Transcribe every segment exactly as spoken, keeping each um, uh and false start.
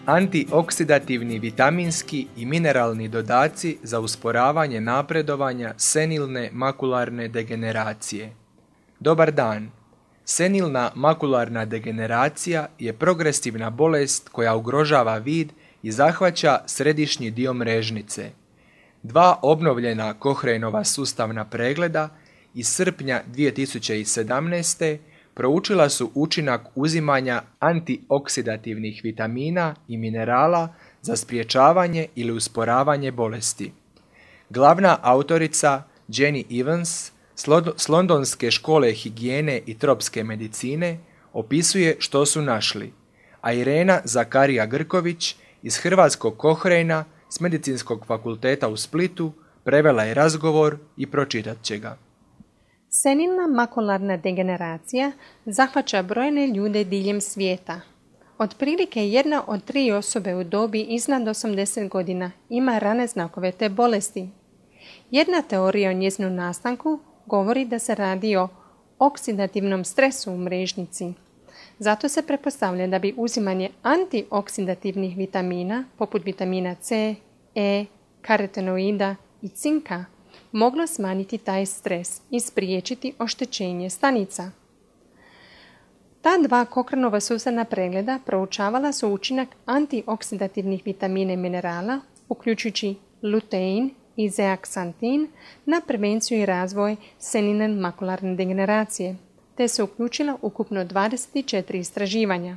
Antioksidativni vitaminski i mineralni dodaci za usporavanje napredovanja senilne makularne degeneracije. Dobar dan! Senilna makularna degeneracija je progresivna bolest koja ugrožava vid i zahvaća središnji dio mrežnice. Dva obnovljena Cochraneova sustavna pregleda iz srpnja dvije tisuće sedamnaeste. proučila su učinak uzimanja antioksidativnih vitamina i minerala za sprječavanje ili usporavanje bolesti. Glavna autorica Jenny Evans s Londonske škole higijene i tropske medicine opisuje što su našli, a Irena Zakarija Grković iz Hrvatskog Cochrana s Medicinskog fakulteta u Splitu prevela je razgovor i pročitat će ga. Senilna makularna degeneracija zahvaća brojne ljude diljem svijeta. Otprilike jedna od tri osobe u dobi iznad osamdeset godina ima rane znakove te bolesti. Jedna teorija o njezinu nastanku govori da se radi o oksidativnom stresu u mrežnici. Zato se pretpostavlja da bi uzimanje antioksidativnih vitamina, poput vitamina C, E, karotenoida i cinka, moglo smanjiti taj stres i spriječiti oštećenje stanica. Ta dva Cochranova sustavna pregleda proučavala su učinak antioksidativnih vitamina i minerala, uključujući lutein i zeaksantin, na prevenciju i razvoj senilne makularne degeneracije, te se uključila ukupno dvadeset četiri istraživanja.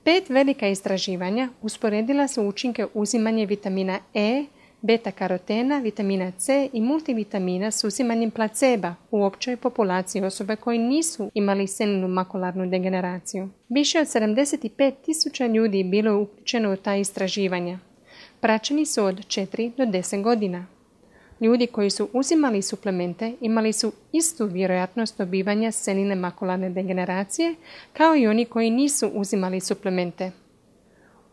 Pet velika istraživanja usporedila su učinke uzimanja vitamina E, beta-karotena, vitamina C i multivitamina s uzimanjem placeba u općoj populaciji osobe koji nisu imali senilnu makularnu degeneraciju. Više od sedamdeset pet tisuća ljudi bilo je uključeno u ta istraživanja. Praćeni su od četiri do deset godina. Ljudi koji su uzimali suplemente imali su istu vjerojatnost dobivanja senilne makularne degeneracije kao i oni koji nisu uzimali suplemente.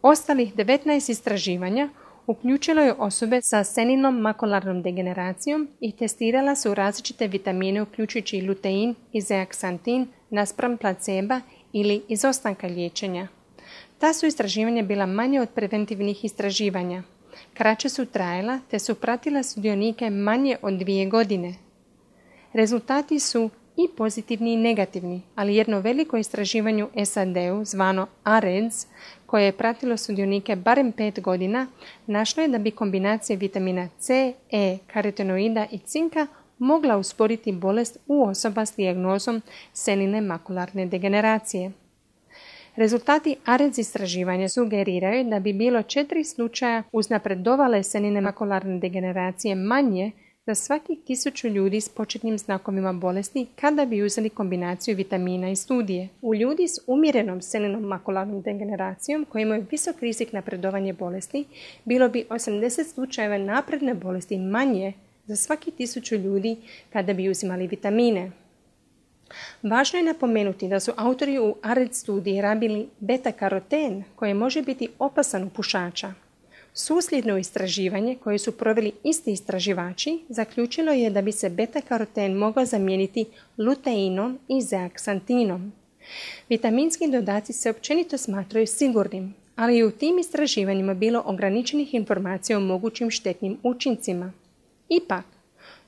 Ostalih devetnaest istraživanja uključilo je osobe sa senilnom makularnom degeneracijom i testirala su različite vitamine uključujući lutein i zeaksantin naspram placeba ili izostanka liječenja. Ta su istraživanja bila manje od preventivnih istraživanja. Kraće su trajala te su pratila sudionike manje od dvije godine. Rezultati su i pozitivni i negativni, ali jedno veliko istraživanje u S A D-u zvano A R E D S, koje je pratilo sudionike barem pet godina, našlo je da bi kombinacija vitamina C, E, karotenoida i cinka mogla usporiti bolest u osoba s dijagnozom senilne makularne degeneracije. Rezultati A R E D S istraživanja sugeriraju da bi bilo četiri slučaja uznapredovale senilne makularne degeneracije manje za svakih tisuću ljudi s početnim znakovima bolesti kada bi uzeli kombinaciju vitamina i studije. U ljudi s umjerenom senilnom makularnom degeneracijom koji imaju visok rizik napredovanja bolesti, bilo bi osamdeset slučajeva napredne bolesti manje za svakih tisuću ljudi kada bi uzimali vitamine. Važno je napomenuti da su autori u A R E D S studiji rabili beta-karoten koji može biti opasan u pušača. Susljedno istraživanje koje su proveli isti istraživači zaključilo je da bi se beta-karoten mogao zamijeniti luteinom i zeaksantinom. Vitaminski dodaci se općenito smatraju sigurnim, ali je u tim istraživanjima bilo ograničenih informacija o mogućim štetnim učincima. Ipak,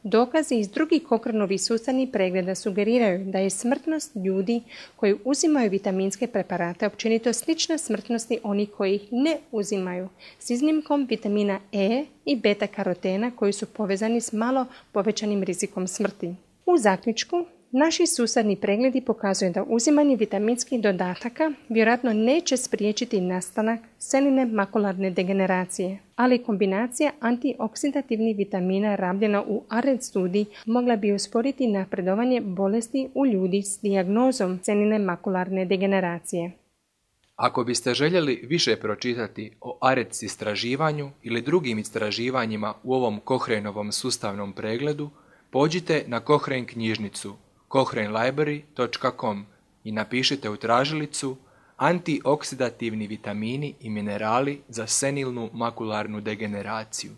dokazi iz drugih Cochranovih sustavnih pregleda sugeriraju da je smrtnost ljudi koji uzimaju vitaminske preparate općenito slična smrtnosti onih koji ih ne uzimaju, s iznimkom vitamina E i beta-karotena koji su povezani s malo povećanim rizikom smrti. U zaključku, naši sustavni pregledi pokazuju da uzimanje vitaminskih dodataka vjerojatno neće spriječiti nastanak senilne makularne degeneracije, ali kombinacija antioksidativnih vitamina rabljena u A R E D S studiji mogla bi usporiti napredovanje bolesti u ljudi s dijagnozom senilne makularne degeneracije. Ako biste željeli više pročitati o A R E D S istraživanju ili drugim istraživanjima u ovom Cochraneovom sustavnom pregledu, pođite na Cochrane knjižnicu cochrane library dot com i napišite u tražilicu antioksidativni vitamini i minerali za senilnu makularnu degeneraciju.